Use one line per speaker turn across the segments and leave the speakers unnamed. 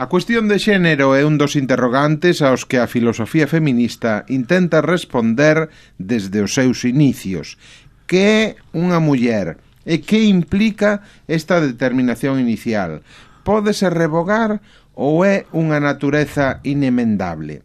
A cuestión de xénero é un dos interrogantes aos que a filosofía feminista intenta responder desde os seus inicios. Que é unha muller? E que implica esta determinación inicial? Pódese revogar ou é unha natureza inemendable?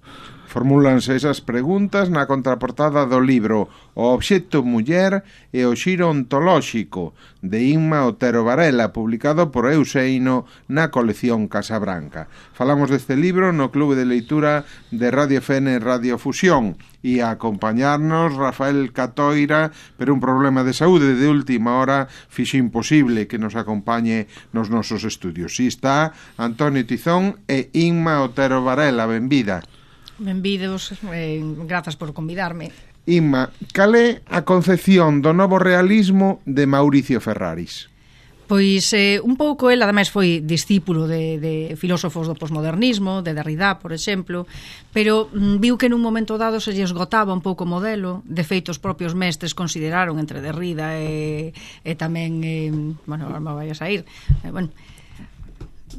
Formúlanse esas preguntas na contraportada do libro O obxecto muller e o xiro ontolóxico de Inma Otero Varela, publicado por Euseino na colección Casabranca. Falamos deste libro no Clube de Leitura de Radio FN Radio Fusión e a acompañarnos Rafael Catoira, pero un problema de saúde de última hora fixo imposible que nos acompañe nos nosos estudios. Si está Antonio Tizón e Inma Otero Varela, benvida.
Benvidos, grazas por convidarme.
Inma, cal é a concepción do novo realismo de Mauricio Ferraris?
Pois un pouco el, ademais, foi discípulo de filósofos do posmodernismo, de Derrida, por exemplo, pero viu que nun momento dado se lle esgotaba un pouco o modelo. De feito, os propios mestres consideraron entre Derrida e tamén, bueno, agora me vai a sair,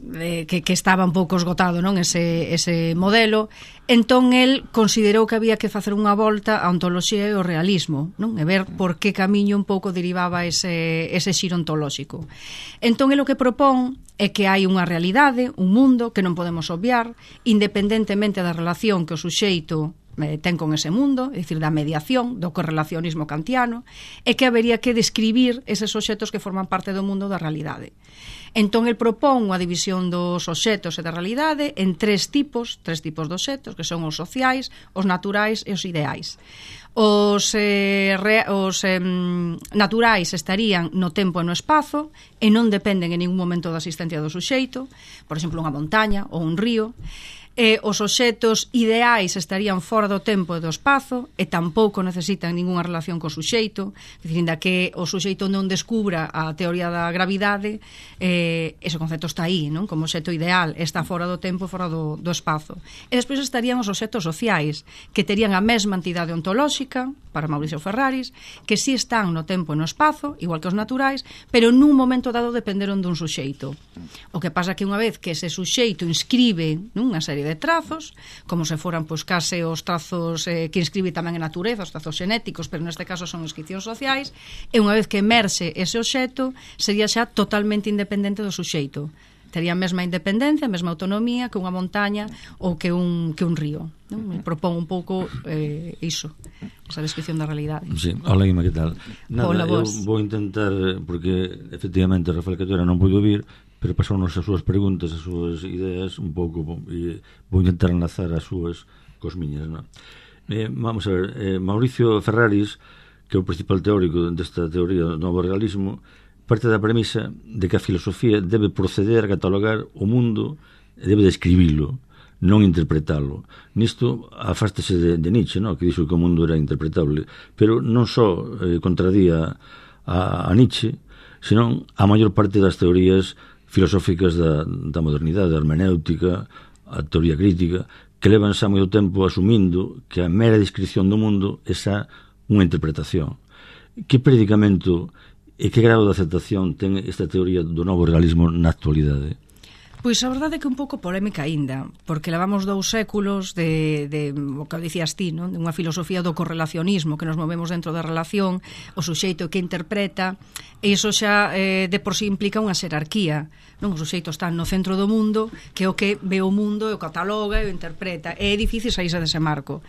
que estaba un pouco esgotado, non, ese modelo. Entón el considerou que había que facer unha volta á ontoloxía e ao realismo, non, e ver por que camiño un pouco derivaba ese xiro ontolóxico. Entón el o que propón é que hai unha realidade, un mundo que non podemos obviar, independentemente da relación que o suxeito ten con ese mundo, é dicir, da mediación, do correlacionismo kantiano, e que habería que describir eses obxectos que forman parte do mundo da realidade. Entón, el propón unha división dos obxectos e da realidade en tres tipos de obxectos, que son os sociais, os naturais e os ideais. Os naturais estarían no tempo e no espazo e non dependen en ningún momento da existencia do suxeito, por exemplo, unha montaña ou un río. Os obxectos ideais estarían fora do tempo e do espazo e tampouco necesitan ningunha relación co suxeito, é dicir, inda que o suxeito non descubra a teoría da gravidade, ese concepto está aí, non? Como obxecto ideal, está fora do tempo e fora do espazo. E despois estarían os obxectos sociais, que terían a mesma entidade ontolóxica, para Mauricio Ferraris, que si están no tempo e no espazo, igual que os naturais, pero nun momento dado dependeron dun suxeito. O que pasa que unha vez que ese suxeito inscribe nunha serie de trazos, como se foran case os trazos que inscribe tamén a natureza, os trazos xenéticos, pero neste caso son inscripcións sociais, e unha vez que emerxe ese obxecto, sería xa totalmente independente do suxeito. Tería a mesma independencia, a mesma autonomía que unha montaña ou que un río, non? Me propón un pouco iso, esa descripción da realidade.
Sí, hola Ima, que tal? Nada,
hola,
eu vou intentar, porque efectivamente Rafael Catoira non puido vir, pero pasounos as súas preguntas, as súas ideas un pouco, e vou intentar enlazar as súas cos miñas, non? Vamos a ver, Mauricio Ferraris, que é o principal teórico desta teoría do novo realismo, parte da premisa de que a filosofía debe proceder a catalogar o mundo e debe describilo, non interpretalo. Nisto afástase de Nietzsche, no? Que dixo que o mundo era interpretable, pero non só contradía a Nietzsche, senón a maior parte das teorías filosóficas da modernidade, da hermenéutica, a teoría crítica, que levan xa moito tempo asumindo que a mera descripción do mundo é xa unha interpretación. Que predicamento e que grado de aceptación ten esta teoría do novo realismo na actualidade?
Pois a verdade é que un pouco polémica aínda, porque levamos 2 séculos de o que dicías ti, non? De unha filosofía do correlacionismo, que nos movemos dentro da relación, o suxeito que interpreta, e iso xa de por sí implica unha xerarquía, non? O suxeito está no centro do mundo, que é o que ve o mundo, e o cataloga e o interpreta, e é difícil saírse dese marco.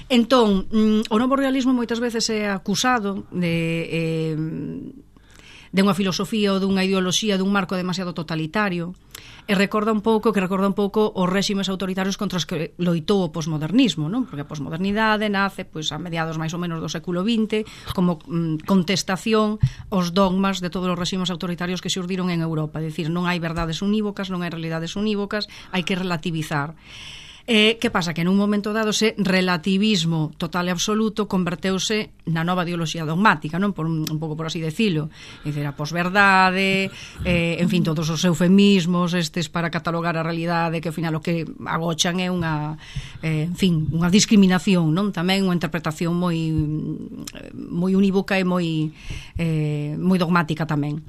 Entón, o novo realismo moitas veces é acusado de unha filosofía ou dunha ideoloxía dun marco demasiado totalitario, e recorda un pouco os réximes autoritarios contra os que loitou o posmodernismo, non? Porque a posmodernidade nace pois a mediados máis ou menos do século XX como contestación aos dogmas de todos os réximes autoritarios que xurdiron en Europa, é dicir, non hai verdades unívocas, non hai realidades unívocas, hai que relativizar. Que pasa? Que nun momento dado ese relativismo total e absoluto converteuse na nova ideoloxía dogmática, non? Un pouco por así decilo. É dicir, a posverdade, en fin, todos os eufemismos estes para catalogar a realidade, que ao final o que agochan é unha discriminación, non? Tamén unha interpretación moi unívoca e moi dogmática tamén.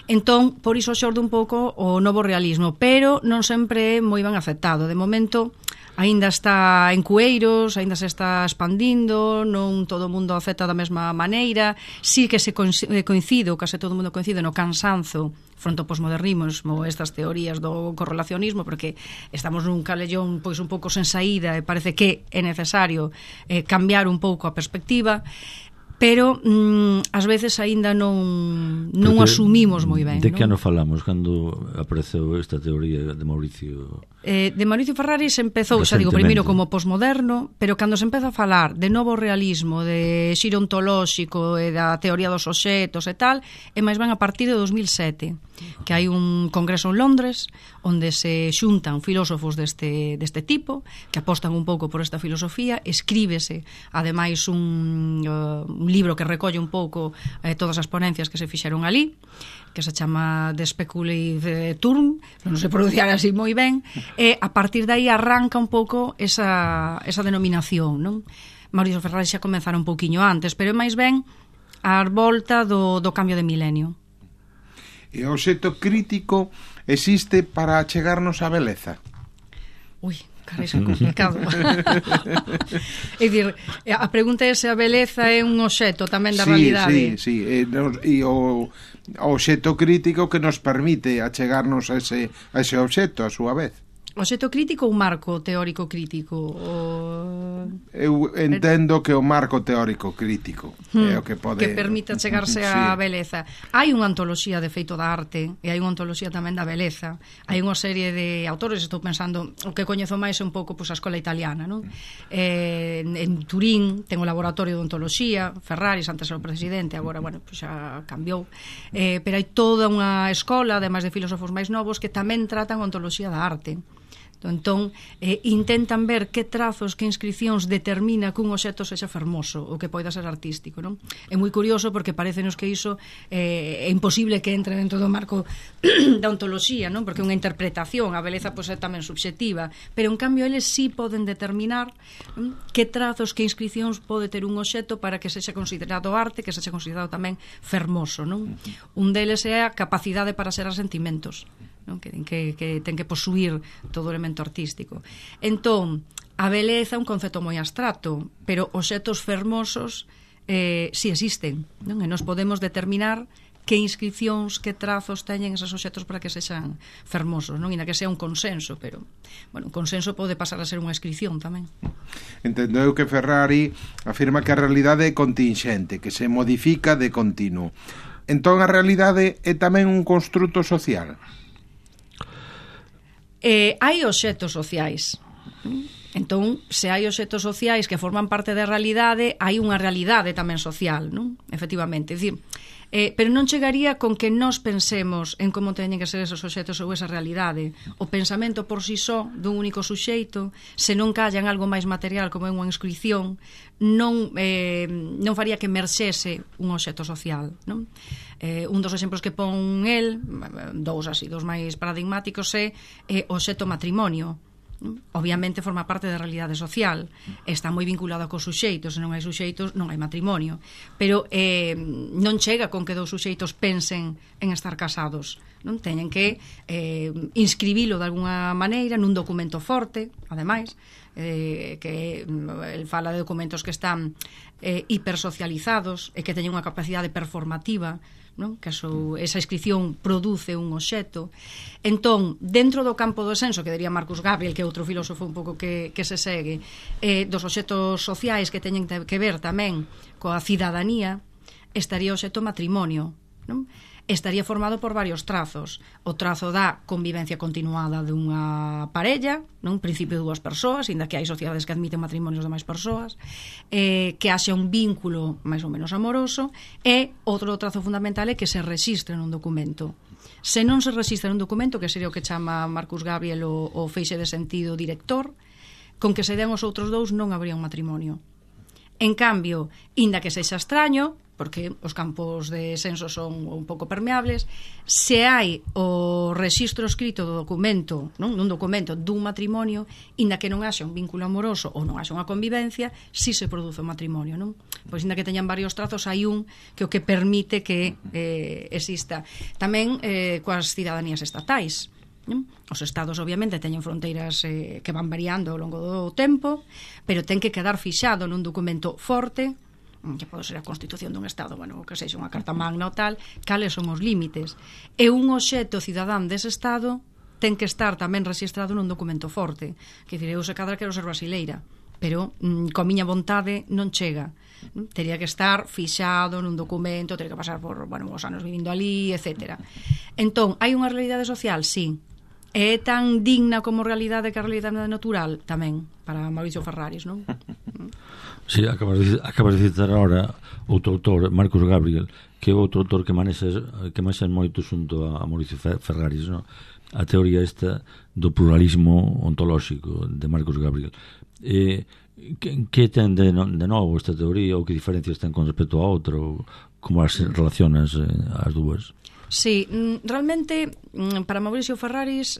Entón, por iso xorde un pouco o novo realismo, pero non sempre é moi ben aceptado. De momento, aínda está en cueiros, aínda se está expandindo, non todo o mundo acepta da mesma maneira, sí que se coincide, ou case todo o mundo coincide no cansanzo fronte ao posmodernismo, estas teorías do correlacionismo, porque estamos nun calellón pois un pouco sen saída e parece que é necesario cambiar un pouco a perspectiva, pero ás veces aínda non asumimos moi ben.
De que ano falamos cando apareceu esta teoría de Mauricio?
De Mauricio Ferrari se empezou, xa digo, primeiro como posmoderno, pero cando se empeza a falar de novo realismo, de xiro ontolóxico e da teoría dos obxetos e tal, é máis ben a partir de 2007, que hai un congreso en Londres onde se xuntan filósofos deste tipo, que apostan un pouco por esta filosofía, escríbese ademais un libro que recolle un pouco todas as ponencias que se fixeron ali, que se chama The Speculative Turn, non se pronunciar así moi ben, e a partir de aí arranca un pouco esa denominación, non? Mauricio Ferrari xa comenzara un pouquiño antes, pero é máis ben a volta do cambio de milenio.
E o obxecto crítico existe para chegarnos á beleza?
Ui, carai, é complicado. É dicir, a pregunta é se a beleza é un obxecto tamén da realidade.
Sí. E o obxecto crítico que nos permite achegarnos a ese obxecto a súa vez.
O obxecto crítico ou marco teórico crítico?
Eu entendo que o marco teórico crítico é o que pode...
Que permita chegarse á beleza. Hai unha ontoloxía de feito da arte e hai unha ontoloxía tamén da beleza. Hai unha serie de autores, estou pensando, o que coñezo máis é un pouco a escola italiana, non? En Turín ten o laboratorio de ontoloxía, Ferrari, antes era o presidente, agora, xa cambiou. Pero hai toda unha escola, ademais de filósofos máis novos, que tamén tratan a ontoloxía da arte. Entón, intentan ver que trazos, que inscripcións determina que un obxecto sexa fermoso ou que poida ser artístico, non? É moi curioso porque parecenos que iso é imposible que entre dentro do marco da ontoloxía, non? Porque é unha interpretación, a beleza pois, é tamén subxectiva, pero en cambio eles sí poden determinar que trazos, que inscripcións pode ter un obxecto para que sexa considerado arte, que sexa considerado tamén fermoso, non? Un deles é a capacidade para xerar sentimentos, non? Que ten que posuir todo o elemento artístico. Entón, a beleza é un concepto moi abstracto, pero obxectos fermosos si existen, non? E nos podemos determinar que inscripcións, que trazos teñen esos obxectos para que sexan fermosos, non? Inda que sea un consenso, pero un consenso pode pasar a ser unha inscripción tamén.
Entendo eu que Ferrari afirma que a realidade é contingente, que se modifica de continuo. Entón a realidade é tamén un construto social?
Hai obxectos sociais. Entón, se hai obxectos sociais que forman parte da realidade, hai unha realidade tamén social, non? Efectivamente, é dicir, pero non chegaría con que nós pensemos en como teñen que ser esos obxectos ou esa realidade. O pensamento por si só dun único suxeito, se non calla en algo máis material como é unha inscripción, non faría que emerxese un obxecto social, non? Un dos exemplos que pon el, dous máis paradigmáticos, é o obxecto matrimonio. Obviamente forma parte da realidade social, está moi vinculado cos suxeitos, se non hai suxeitos non hai matrimonio, pero non chega con que dous suxeitos pensen en estar casados, non? Teñen que inscribilo de alguna maneira nun documento forte, ademais, que el fala de documentos que están hipersocializados e que teñen unha capacidade performativa, non? Que esa inscripción produce un obxecto. Entón, dentro do campo do senso, que diría Marcus Gabriel, que é outro filósofo un pouco que se segue, dos obxectos sociais que teñen que ver tamén coa cidadanía, estaría o obxecto matrimonio, non? Estaría formado por varios trazos. O trazo da convivencia continuada dunha parella, non? Principio de dúas persoas, inda que hai sociedades que admiten matrimonios de máis persoas, que haxa un vínculo máis ou menos amoroso, e outro trazo fundamental é que se rexistre nun documento. Se non se rexistra nun documento, que sería o que chama Marcus Gabriel o feixe de sentido director, con que se den os outros dous non habría un matrimonio. En cambio, inda que sexa extraño, porque os campos de senso son un pouco permeables. Se hai o rexistro escrito do documento, non? Dun documento dun matrimonio, inda que non haxa un vínculo amoroso ou non haxa unha convivencia, si se produce un matrimonio, non? Pois inda que teñan varios trazos, hai un que o que permite que exista. Tamén coas cidadanía estatais. Os estados obviamente teñen fronteiras que van variando ao longo do tempo, pero ten que quedar fixado nun documento forte, que pode ser a constitución dun estado, bueno, que sexa unha carta magna ou tal, cales son os límites. E un obxecto cidadán dese estado ten que estar tamén registrado nun documento forte. Que dicir, eu se cadra quero ser brasileira, pero coa miña vontade non chega. Tería que estar fixado nun documento, tería que pasar por, bueno, os anos vivindo ali, etc. Entón, hai unha realidade social? Sí. É tan digna como realidade que a realidade natural? Tamén, para Mauricio Ferraris, non?
Sí, acabas de citar agora outro autor, Marcos Gabriel, que é outro autor que manexa moito xunto a Mauricio Ferraris, non? A teoría esta do pluralismo ontolóxico de Marcos Gabriel. Que ten de novo esta teoría, ou que diferencias ten con respecto a outro, como as relacionas as dúas?
Sí, realmente para Mauricio Ferraris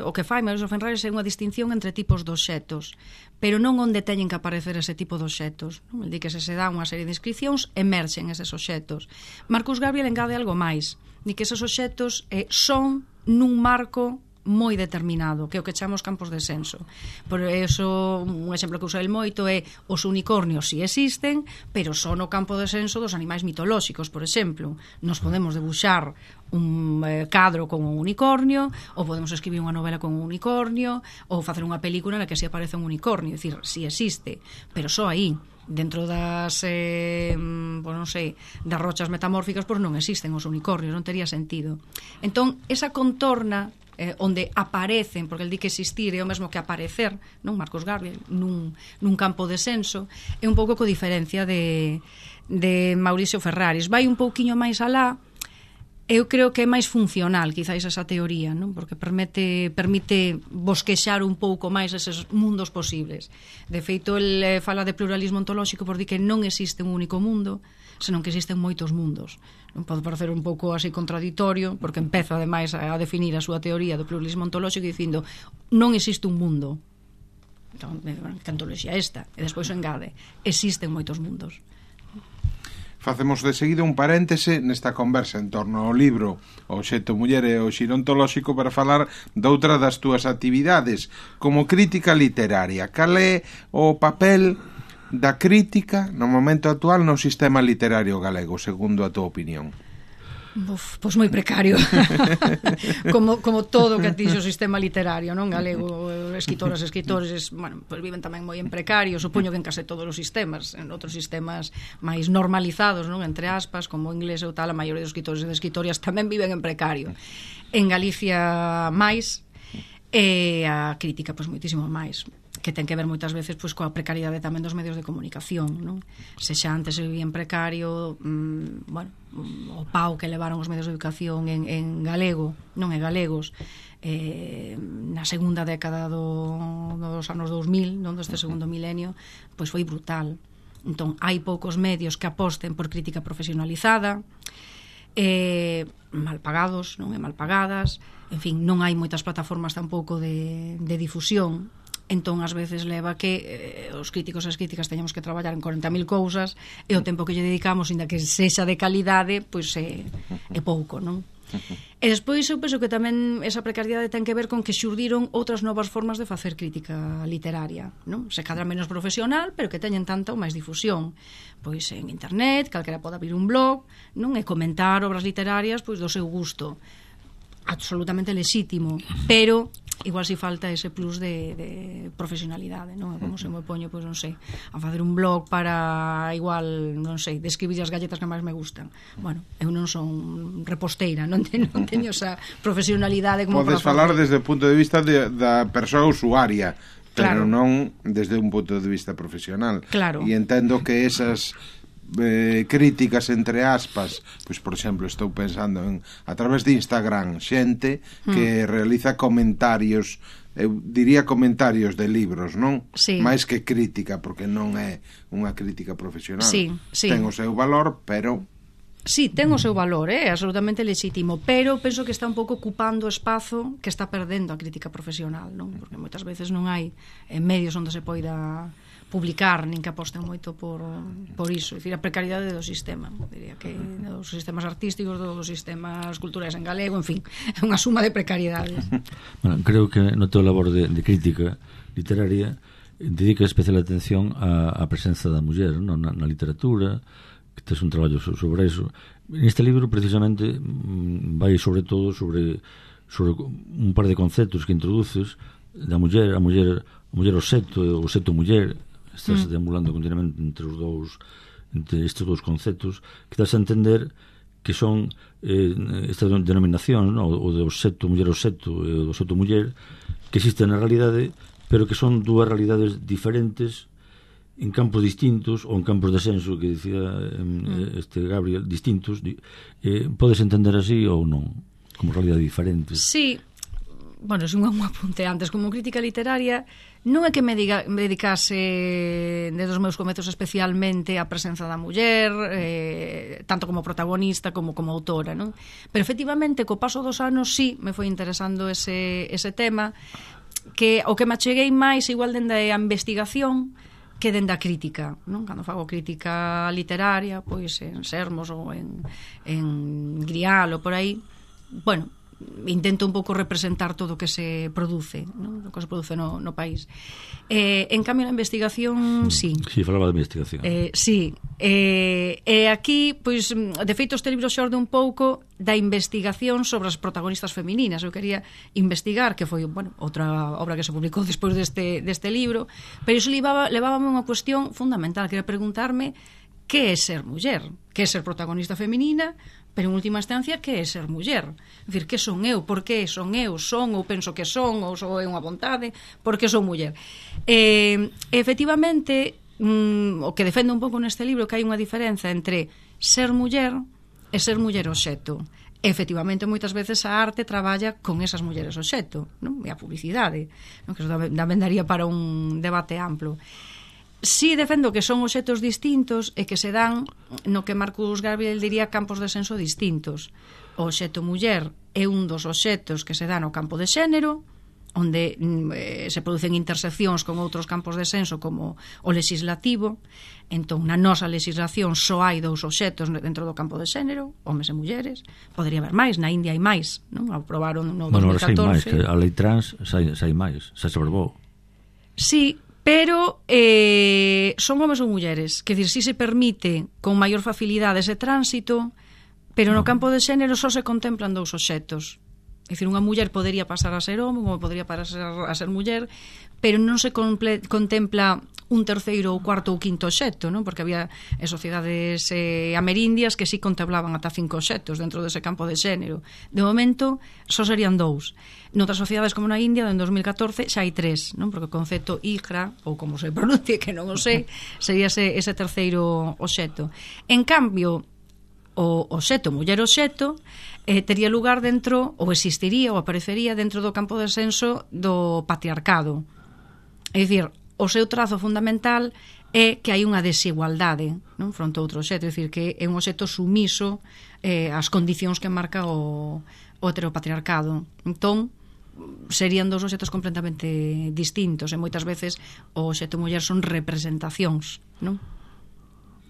o que fai Mauricio Ferraris é unha distinción entre tipos de obxectos, pero non onde teñen que aparecer ese tipo de obxectos. El di que se dá unha serie de inscripcións, emerxen eses obxectos. Marcos Gabriel engade algo máis, di que eses obxectos son nun marco moi determinado, que é o que chamamos campos de senso. Por eso, un exemplo que usa el moito é os unicornios si existen, pero son o campo de senso dos animais mitolóxicos, por exemplo. Nos podemos debuxar un cadro con un unicornio, ou podemos escribir unha novela con un unicornio, ou facer unha película na que si aparece un unicornio, é dicir, si existe, pero só aí. Dentro das pues non sei, das rochas metamórficas, pois non existen os unicornios, non tería sentido. Entón, esa contorna onde aparecen, porque el di que existir é o mesmo que aparecer, non, Marcos Gabriel, nun campo de senso, é un pouco co diferencia de Mauricio Ferraris. Vai un pouquiño máis alá. Eu creo que é máis funcional, quizáis, esa teoría, non? Porque permite bosquexar un pouco máis eses mundos posibles. De feito, el fala de pluralismo ontolóxico por di que non existe un único mundo, senón que existen moitos mundos. Non pode parecer un pouco así contradictorio, porque empeza, ademais, a definir a súa teoría do pluralismo ontolóxico dicindo non existe un mundo. Entón, que ontoloxía esta? E despois engade, existen moitos mundos.
Facemos de seguida un paréntese nesta conversa en torno ao libro O obxecto muller e o xiro ontolóxico para falar doutra das túas actividades como crítica literaria. Cal é o papel da crítica no momento actual no sistema literario galego, segundo a túa opinión?
Pois moi precario. como todo o que atinxe o sistema literario, non galego, escritoras, escritores, bueno, pois viven tamén moi en precario, supoño que en case todos os sistemas, en outros sistemas máis normalizados, non, entre aspas, como o inglés ou tal, a maioría dos escritores e de escritorias tamén viven en precario. En Galicia máis, e a crítica pois moitísimo máis, que ten que ver moitas veces pois coa precariedade tamén dos medios de comunicación, non? Se xa antes se vivía en precario, bueno, o pau que levaron os medios de educación en galego, non en galegos, na segunda década dos anos 2000, non, deste segundo milenio, pois foi brutal. Entón, hai poucos medios que aposten por crítica profesionalizada, mal pagados, non, e mal pagadas, en fin, non hai moitas plataformas tampouco de difusión. Entón, ás veces leva que os críticos e as críticas teñamos que traballar en 40.000 cousas e o tempo que lle dedicamos, inda que sexa de calidade, pois é pouco, non? E despois eu penso que tamén esa precariedade ten que ver con que xurdiron outras novas formas de facer crítica literaria, non? Se cadra menos profesional, pero que teñen tanta ou máis difusión. Pois en internet, calquera pode abrir un blog, non? E comentar obras literarias pois do seu gusto. Absolutamente lexítimo, pero igual si falta ese plus de profesionalidade, non? Como se me poño, pois non sei, a facer un blog para igual, non sei, describir as galletas que máis me gustan. Bueno, eu non son reposteira, non teño esa profesionalidade como
podes falar desde o punto de vista da persoa usuaria, pero
claro,
non desde un punto de vista profesional.
Claro.
E entendo que esas críticas entre aspas, pois por exemplo estou pensando en a través de Instagram, xente que realiza comentarios eu diría comentarios de libros, non?
Sí.
Máis que crítica, porque non é unha crítica profesional.
Sí, sí.
Ten o seu valor, pero...
Sí, ten o seu valor, é absolutamente lexítimo, pero penso que está un pouco ocupando o espazo que está perdendo a crítica profesional, non? Porque moitas veces non hai medios onde se poida publicar, nin que aposten moito por iso, é dicir, a precariedade do sistema, diría que dos sistemas artísticos, dos sistemas culturais en galego, en fin, é unha suma de precariedades.
Bueno, creo que no teu labor de crítica literaria dedica especial atención á presenza da muller, non? Na literatura, que tes un traballo sobre eso. Neste libro, precisamente, vai sobre todo sobre un par de conceptos que introduces da muller, a muller o seto muller, estás deambulando continuamente entre estes dous conceptos, que estás a entender que son esta denominación, no? O do seto muller o seto e o do seto muller, que existen na realidade, pero que son dúas realidades diferentes en campos distintos, ou en campos de senso, que dicía Gabriel, distintos. Podes entender así ou non? Como realidades diferentes?
Sí, bueno, é un apunte antes. Como crítica literaria, non é que me dedicase desde os meus comezos especialmente á presenza da muller, tanto como protagonista como autora, non? Pero efectivamente, co paso dos anos, sí, me foi interesando ese tema, que o que me acheguei máis igual dende a investigación que dende a crítica, non? Cando fago crítica literaria, pois en Sermos ou en Grial ou por aí, bueno, intento un pouco representar todo o que se produce, non? O que se produce no país. En cambio, na investigación, sí.
Sí, falaba de investigación.
Sí. E aquí, pois, de feito, este libro xorde un pouco da investigación sobre as protagonistas femininas. Eu quería investigar, que foi, bueno, outra obra que se publicou despois deste libro, pero iso levábame unha cuestión fundamental, que era preguntarme que é ser muller, que é ser protagonista feminina, pero en última instancia, que é ser muller? É dicir, que son eu? Por que son eu? Son ou penso que son? Ou sou unha vontade? Por que son muller? Efectivamente, o que defendo un pouco neste libro, que hai unha diferenza entre ser muller e ser muller obxecto. Efectivamente, moitas veces a arte traballa con esas mulleres obxecto, non? E a publicidade, non? Que tamén daría para un debate amplo. Si defendo que son obxectos distintos e que se dan no que Marcus Gabriel diría campos de senso distintos. O obxecto muller é un dos obxectos que se dá no campo de xénero, onde se producen interseccións con outros campos de senso como o legislativo. Entón, na nosa legislación só hai dous obxectos dentro do campo de xénero, homes e mulleres. Podría haber máis, na India hai máis, non? Aprobaron no 2014.
Bueno, ahora hai máis, que a lei trans sai máis, xa se aprobou.
Sí, pero son homes ou mulleres, que si se permite con maior facilidade ese tránsito, pero no campo de xénero só se contemplan dous obxectos. É dicir, unha muller podería pasar a ser home, como podería pasar a ser muller, pero non se contempla un terceiro ou cuarto ou quinto obxecto, non? Porque había sociedades amerindias que sí contemplaban ata 5 obxectos dentro dese campo de xénero. De momento, só serían 2. Noutras sociedades como na India, en 2014, xa hai 3, non? Porque o concepto IGRA, ou como se pronuncie, que non o sei, sería ese terceiro obxecto. En cambio, o obxecto, muller obxecto, tería lugar dentro, ou existiría, ou aparecería dentro do campo de senso do patriarcado. É dicir, o seu trazo fundamental é que hai unha desigualdade, non? Fronte a outro obxecto, é dicir, que é un obxecto sumiso ás condicións que marca o heteropatriarcado. Entón, serían dos obxectos completamente distintos, e moitas veces o obxecto muller son representacións, non?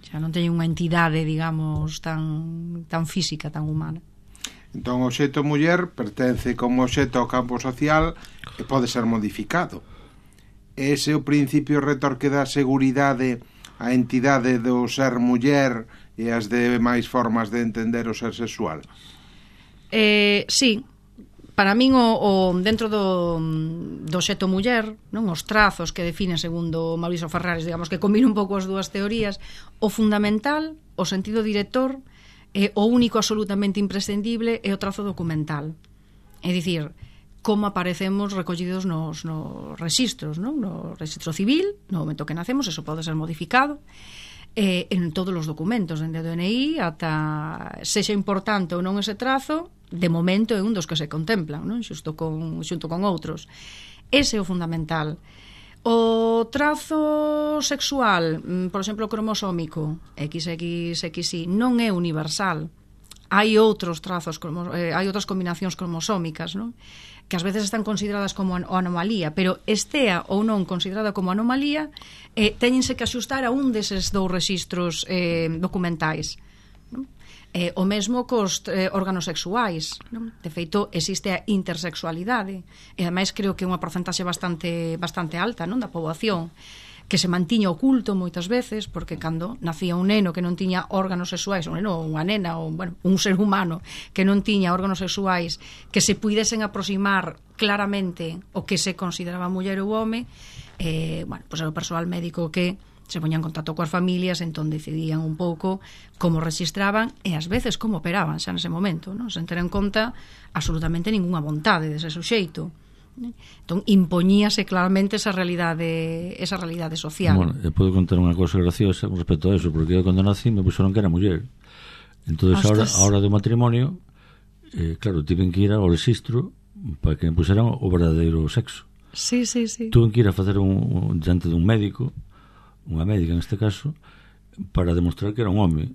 Xa non teñen unha entidade, digamos, tan física, tan humana.
Entón, o obxecto muller pertence como obxecto ao campo social e pode ser modificado. Ese é o principio rector que dá seguridade á entidade do ser muller e as demais formas de entender o ser sexual.
Sí. Para min, dentro do obxecto muller, non, os trazos que definen segundo Mauricio Ferraris, digamos que combina un pouco as dúas teorías, o fundamental, o sentido director, o único absolutamente imprescindible é o trazo documental. É dicir, como aparecemos recollidos nos registros, non? No registro civil, no momento que nacemos, eso pode ser modificado, en todos os documentos, dende o DNI ata sexa importante ou non ese trazo, de momento é un dos que se contemplan, non? Xunto con outros. Ese é o fundamental. O trazo sexual, por exemplo, cromosómico, XXXY, non é universal. Hai outros trazos, hai outras combinacións cromosómicas, non? Que ás veces están consideradas como anomalía, pero estea ou non considerada como anomalía, téñense que axustar a un deses dous rexistros documentais, non? O mesmo cos órganos sexuais, non? De feito, existe a intersexualidade, e ademais creo que é unha porcentaxe bastante alta, non, da poboación, que se mantiña oculto moitas veces, porque cando nacía un neno que non tiña órganos sexuais, un neno ou unha nena, ou, bueno, un ser humano que non tiña órganos sexuais que se puidesen aproximar claramente o que se consideraba muller ou home, bueno, pues era o persoal médico que se poña en contacto coas familias, entón decidían un pouco como rexistraban e ás veces como operaban xa nese momento, non? Sen ter en conta absolutamente ningunha vontade dese suxeito. Entón impoñíase claramente esa realidade social.
Bueno, eu podo contar unha cousa graciosa con respecto a eso, porque eu cando nací me puxeron que era muller. Entón a hora do matrimonio, claro, tiven que ir ao registro para que me puxeran o verdadeiro sexo.
Sí.
Tuve que ir a facer diante dun médico, unha médica neste caso, para demostrar que era un home.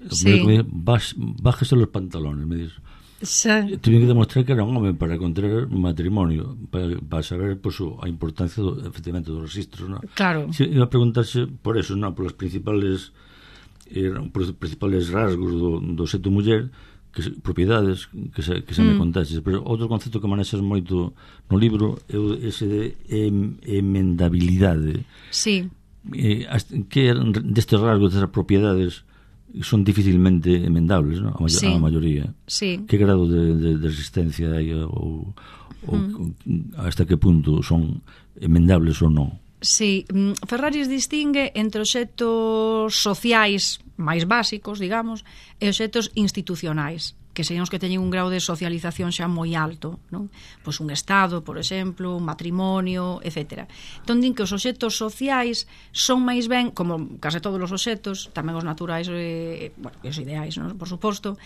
O primeiro que me dixo, bájese los pantalones, me dixo. Tuve que demostrar que era un home para contraer matrimonio, para saber pues, a importancia efectivamente dos registros, ¿no?
Claro.
Iba a preguntarse por eso, ¿no? Por os principales rasgos do sexo muller, propiedades que se me contaches, pero outro concepto que manexas moito no libro é ese de emendabilidade.
Sí.
Que destes rasgos, destas propiedades son dificilmente emendables, ¿no? A maioría.
Sí.
Que grado de resistencia hai ou hasta que punto son emendables ou non?
Sí, Ferraris distingue entre os xetos sociais máis básicos, digamos, e os xetos institucionais, que serían os que teñen un grau de socialización xa moi alto, non? Pois un estado, por exemplo, un matrimonio, etc. Entón din que os obxectos sociais son máis ben, como case todos os obxectos, tamén os naturais, bueno, os ideais, non? Por suposto,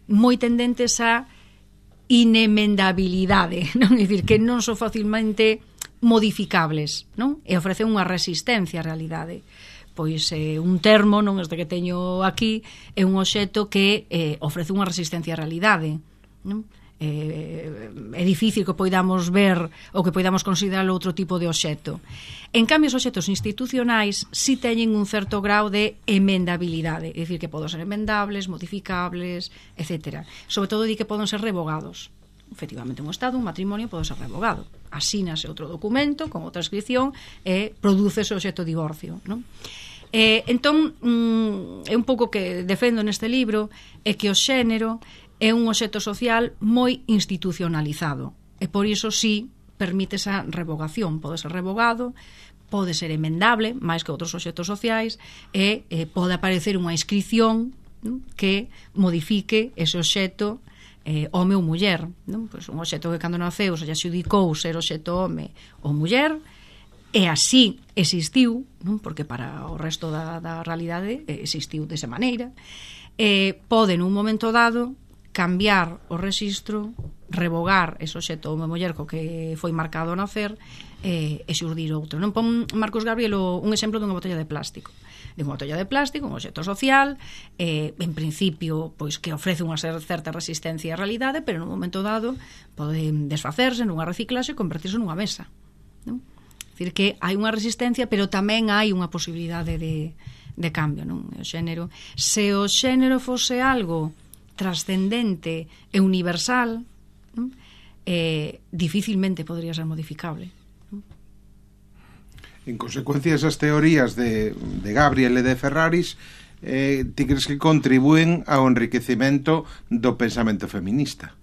moi tendentes a inemendabilidade, non? É dicir, que non son facilmente modificables, non? E ofrecen unha resistencia á realidade. Pois un termo, non este que teño aquí, é un obxecto que ofrece unha resistencia á realidade, non? É difícil que poidamos ver ou que poidamos considerar outro tipo de obxecto. En cambio, os obxectos institucionais si teñen un certo grau de emendabilidade, é dicir, que poden ser emendables, modificables, etc. Sobre todo, di que poden ser revogados. Efectivamente, un estado, un matrimonio pode ser revogado. Asínase outro documento con outra inscripción e prodúcese o obxecto divorcio, non? Entón, é un pouco que defendo neste libro é que o xénero é un obxecto social moi institucionalizado e por iso sí permite esa revogación. Pode ser revogado, pode ser emendable máis que outros obxectos sociais e pode aparecer unha inscripción, non? Que modifique ese obxecto home ou muller, non? Pois un obxecto que cando naceu se adxudicou ser obxecto home ou muller e así existiu, non? Porque para o resto da realidade existiu desa maneira, pode nun momento dado cambiar o rexistro, revogar ese obxecto home ou muller co que foi marcado ao nacer e xurdir outro, non? Pon Marcos Gabriel un exemplo dunha botella de plástico, un obxecto social, en principio pois que ofrece unha certa resistencia á realidade, pero nun momento dado pode desfacerse nunha reciclaxe e convertirse nunha mesa, non? É dicir, que hai unha resistencia, pero tamén hai unha posibilidade de cambio, non? O xénero, se o xénero fose algo trascendente e universal, non? Difícilmente podría ser modificable.
En consecuencia, esas teorías de Gabriel e de Ferraris ti crees que contribúen ao enriquecemento do pensamento feminista?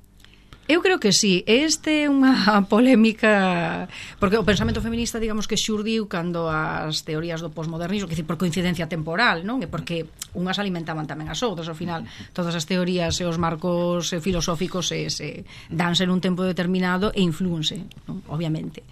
Eu creo que sí. Este é unha polémica, porque o pensamento feminista, digamos que xurdiu cando as teorías do posmodernismo, que dicir, por coincidencia temporal, non? E porque unhas alimentaban tamén as outras, ao final todas as teorías e os marcos filosóficos se danse nun tempo determinado e inflúense, non? Obviamente.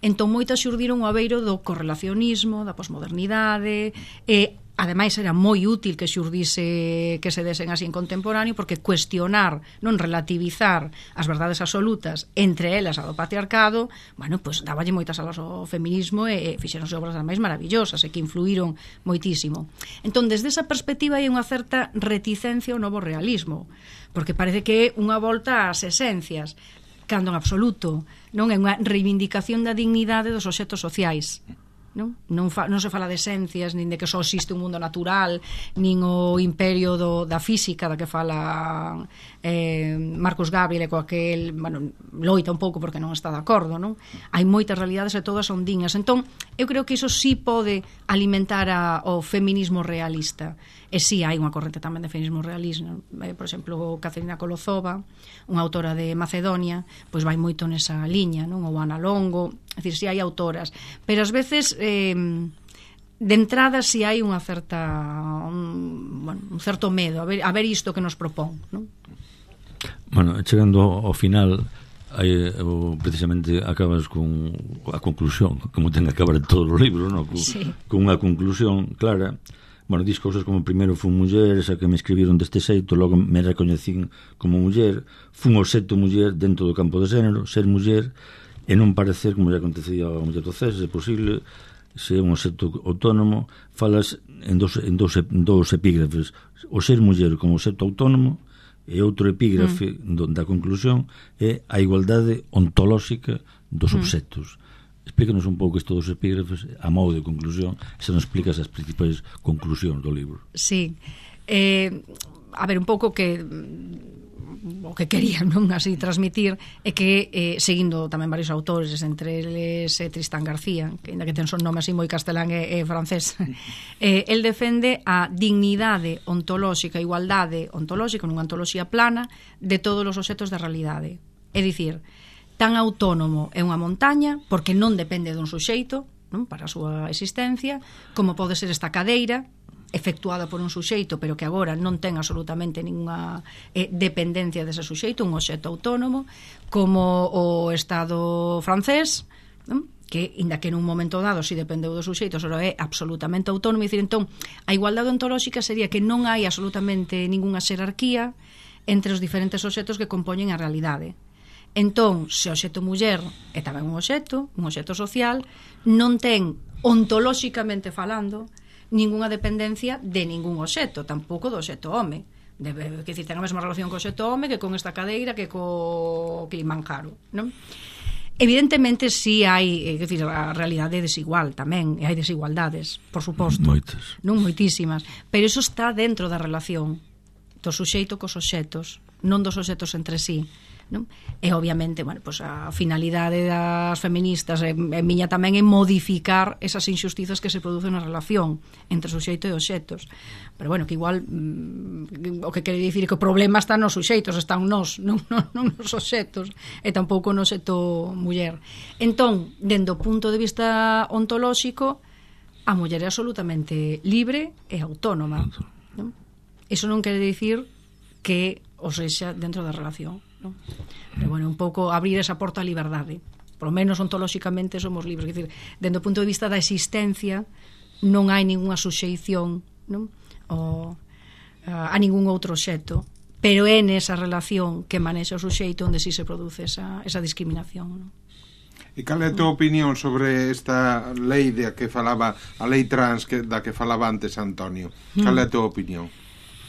Entón moitas xurdiron o abeiro do correlacionismo, da posmodernidade, e ademais era moi útil que xurdise, que se desen así en contemporáneo, porque cuestionar, non relativizar as verdades absolutas, entre elas a do patriarcado, bueno, pois dáballe moitas alas ao feminismo e fixeronse obras máis maravillosas e que influíron moitísimo. Entón, desde esa perspectiva hai unha certa reticencia ao novo realismo, porque parece que é unha volta ás esencias, cando en absoluto non é unha reivindicación da dignidade dos obxectos sociais. Non se fala de esencias, nin de que só existe un mundo natural, nin o imperio da física da que fala Marcus Gabriel, coa que el, bueno, loita un pouco porque non está de acordo, non? Hai moitas realidades e todas son dignas. Entón, eu creo que iso sí pode alimentar o feminismo realista. E sí, hai unha corrente tamén de feminismo realista, por exemplo, Katerina Kolozova, unha autora de Macedonia, pois vai moito nesa liña, non? Ou Ana Longo, é dicir, sí hai autoras, pero ás veces de entrada si hai unha certa un certo medo a ver isto que nos propón, non?
Bueno, chegando ao final, precisamente acabas con a conclusión, como ten que acabar todo o libro, non?
Sí.
Con unha conclusión clara. Bueno, dis cousas como primeiro fun muller, esa que me escribiron deste xeito, logo me recoñecín como muller, fun o xeito muller dentro do campo de xénero, ser muller e non parecer, como já acontecía a muller do CES, é posible, ser un xeito autónomo. Falas en dous epígrafes, o ser muller como xeito autónomo, e outro epígrafe da conclusión é a igualdade ontolóxica dos obxectos. Explícanos un pouco isto dos epígrafes a modo de conclusión, se nos explicas as principais conclusións do libro.
Sí, a ver, un pouco que o que quería, non, así transmitir é que, seguindo tamén varios autores, entre eles Tristán García, que ainda que ten son nome así moi castelán e francés, el defende a dignidade ontolóxica, igualdade ontolóxica, nunha ontoloxía plana de todos os obxectos da realidade. É dicir, tan autónomo é unha montaña porque non depende dun suxeito, non, para a súa existencia, como pode ser esta cadeira efectuada por un suxeito, pero que agora non ten absolutamente ninguna dependencia dese suxeito, un obxecto autónomo, como o Estado francés, non? Que, inda que nun momento dado si dependeu do suxeito, só é absolutamente autónomo. Dicir, entón, a igualdade ontolóxica sería que non hai absolutamente ninguna xerarquía entre os diferentes obxectos que compoñen a realidade. Entón, se o obxecto muller é tamén un obxecto social, non ten, ontolóxicamente falando, ninguna dependencia de ningún obxecto, tampouco do obxecto home. Que dicir, ten a mesma relación co obxecto home que con esta cadeira que co Kilimanjaro, non? Evidentemente, si hai, é dicir, a realidade é desigual tamén, e hai desigualdades, por suposto.
Moitas.
Non moitísimas, pero iso está dentro da relación do suxeito cos obxectos, non dos obxectos entre sí, non? E obviamente, bueno, pues a finalidade das feministas e miña tamén é modificar esas injustizas que se producen na relación entre suxeito e obxectos. Pero bueno, que igual o que quere dicir que o problema está nos suxeitos, están non nos obxectos, e tampouco no obxecto muller. Entón, dende o punto de vista ontolóxico, a muller é absolutamente libre e autónoma, non? Iso non quere dicir que o sexa dentro da relación, non? Pero bueno, un pouco abrir esa porta á liberdade. Por lo menos ontolóxicamente somos libres, é dicir, dentro do punto de vista da existencia non hai ningunha suxeición, non? A ningún outro obxecto, pero é nesa relación que manexa o suxeito onde si se produce esa discriminación, non?
E cal é a tua opinión sobre esta lei da que falaba, a lei trans da que falaba antes Antonio? Cal é a tua opinión?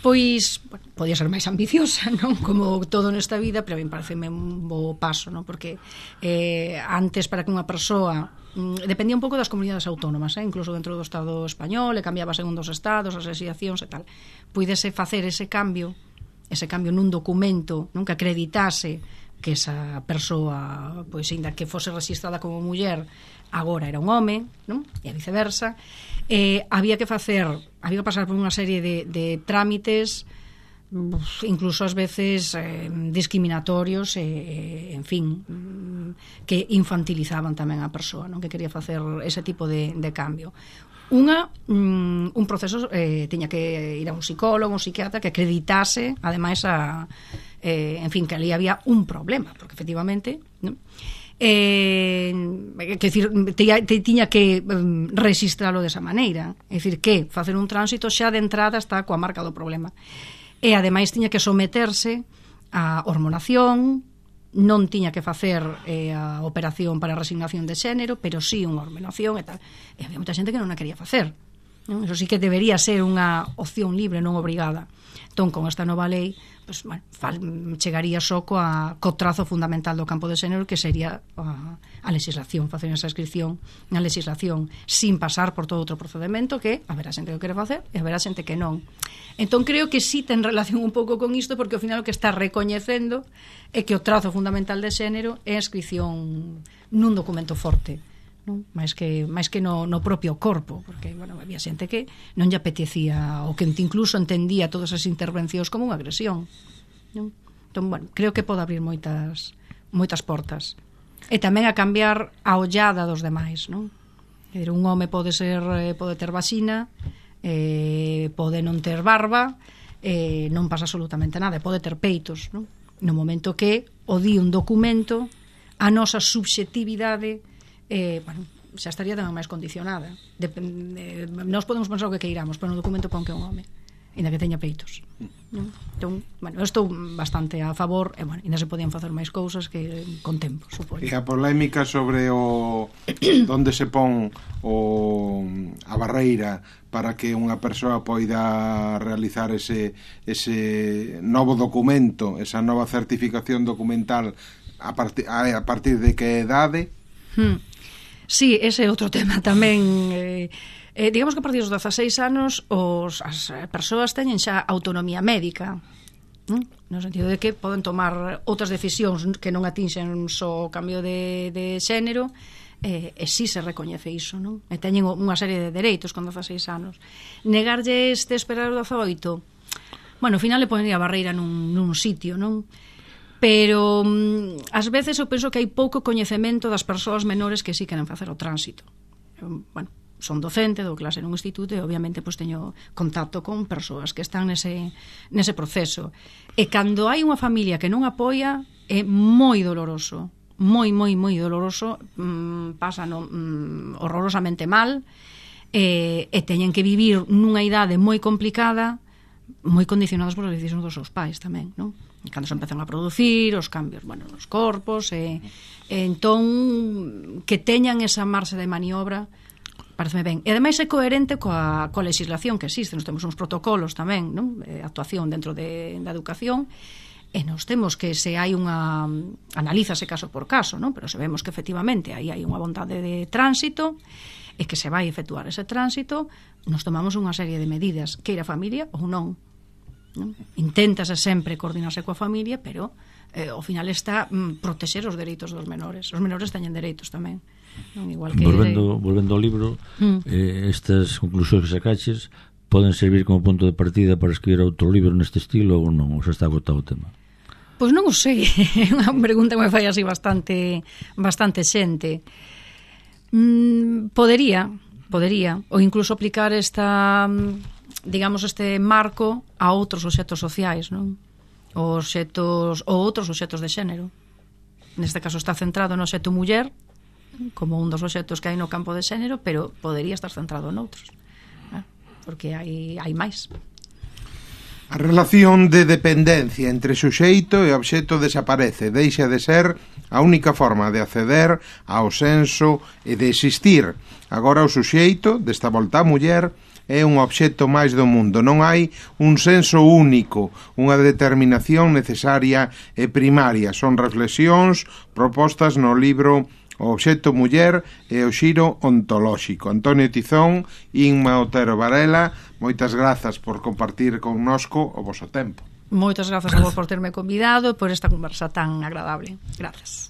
Pois, bueno, podía ser máis ambiciosa, non? Como todo nesta vida, pero a mí pareceme un bo paso, non? Porque antes, para que unha persoa dependía un pouco das comunidades autónomas, incluso dentro do Estado español, e cambiaba segundo os estados, as legislacións e tal, puidese facer ese cambio nun documento, non, que acreditase que esa persoa, pois, ainda que fose registrada como muller, agora era un home, non? E a viceversa. Había que pasar por unha serie de trámites, incluso ás veces discriminatorios, en fin, que infantilizaban tamén a persoa, non, que quería facer ese tipo de cambio. Un proceso tiña que ir a un psicólogo, un psiquiatra que acreditase, ademais, en fin, que ali había un problema, porque efectivamente, non? que decir, tiña que registralo desa maneira, é dicir, que facer un tránsito xa de entrada está coa marca do problema, e ademais tiña que someterse a hormonación, non tiña que facer a operación para resignación de xénero, pero sí unha hormonación e tal, e había moita xente que non a quería facer, non? Eso sí que debería ser unha opción libre, non obrigada. Entón, con esta nova lei, pues, bueno, chegaría só co trazo fundamental do campo de xénero, que sería a legislación, facer esa inscripción na legislación, sin pasar por todo outro procedimento, que haberá xente que quere facer e haberá xente que non. Entón, creo que sí ten relación un pouco con isto, porque ao final o que está recoñecendo é que o trazo fundamental de xénero é a inscripción nun documento forte, non? máis que no propio corpo, porque bueno, había xente que non lle apetecía, ou que incluso entendía todas as intervencións como unha agresión, non? Entón, bueno, creo que pode abrir moitas portas, e tamén a cambiar a ollada dos demais, non? Un home pode ter vaxina, pode non ter barba, non pasa absolutamente nada, pode ter peitos, non? No momento que o di un documento, a nosa subxectividade bueno, xa estaría tamén máis condicionada. Nós podemos pensar o que queiramos, pero no documento pon que é un home, ainda que teña peitos, non? Entón, bueno, estou bastante a favor, e bueno, ainda se podían facer máis cousas que con tempo, supoño.
E a polémica sobre onde se pon a barreira para que unha persoa poida realizar ese novo documento, esa nova certificación documental a partir de que idade?
Sí, ese é outro tema tamén. Digamos que a partir dos 16 anos as persoas teñen xa autonomía médica, no sentido de que poden tomar outras decisións que non atinxen só o cambio de xénero, e si se recoñece iso, non? E teñen unha serie de dereitos con 16 anos. Negarlle esperar o 18, bueno, ao final le ponería a barreira nun sitio, non? Pero ás veces eu penso que hai pouco coñecemento das persoas menores que sí queren facer o tránsito. Bueno, son docente, dou clase nun instituto e obviamente pues, teño contacto con persoas que están nese proceso. E cando hai unha familia que non apoia, é moi doloroso, moi doloroso, pasan horrorosamente mal, e teñen que vivir nunha idade moi complicada, moi condicionados por as decisións dos seus pais tamén, non? Cando se empezan a producir os cambios, bueno, nos corpos, entón que teñan esa marxe de maniobra pareceme ben. E ademais é coherente coa legislación que existe. Nos temos uns protocolos tamén, non? Actuación dentro da educación, e nos temos que se hai unha analízase caso por caso, non? Pero se vemos que efectivamente aí hai unha vontade de tránsito e que se vai efectuar ese tránsito, nos tomamos unha serie de medidas, queira a familia ou non. Inténtase sempre coordinarse coa familia, pero ao final está protexer os dereitos dos menores. Os menores teñen dereitos tamén, non? Igual que
volvendo ao libro, estas conclusións que sacaches poden servir como punto de partida para escribir outro libro neste estilo ou non? Ou xa está agotado o tema?
Pois non o sei, é unha pregunta que me fai así bastante xente. Podería, ou incluso aplicar digamos, este marco a outros obxectos sociais, non? Ou outros obxectos de xénero. Neste caso está centrado no obxecto muller, como un dos obxectos que hai no campo de xénero, pero podería estar centrado noutros, porque hai máis.
A relación de dependencia entre suxeito e obxecto desaparece, deixa de ser a única forma de acceder ao senso e de existir. Agora o suxeito, desta volta a muller, é un obxecto máis do mundo. Non hai un senso único, unha determinación necesaria e primaria. Son reflexións propostas no libro O obxecto muller e o xiro ontolóxico. Antonio Tizón, Inma Otero Varela, moitas grazas por compartir connosco o voso tempo.
Moitas grazas a vos por terme convidado e por esta conversa tan agradable. Grazas.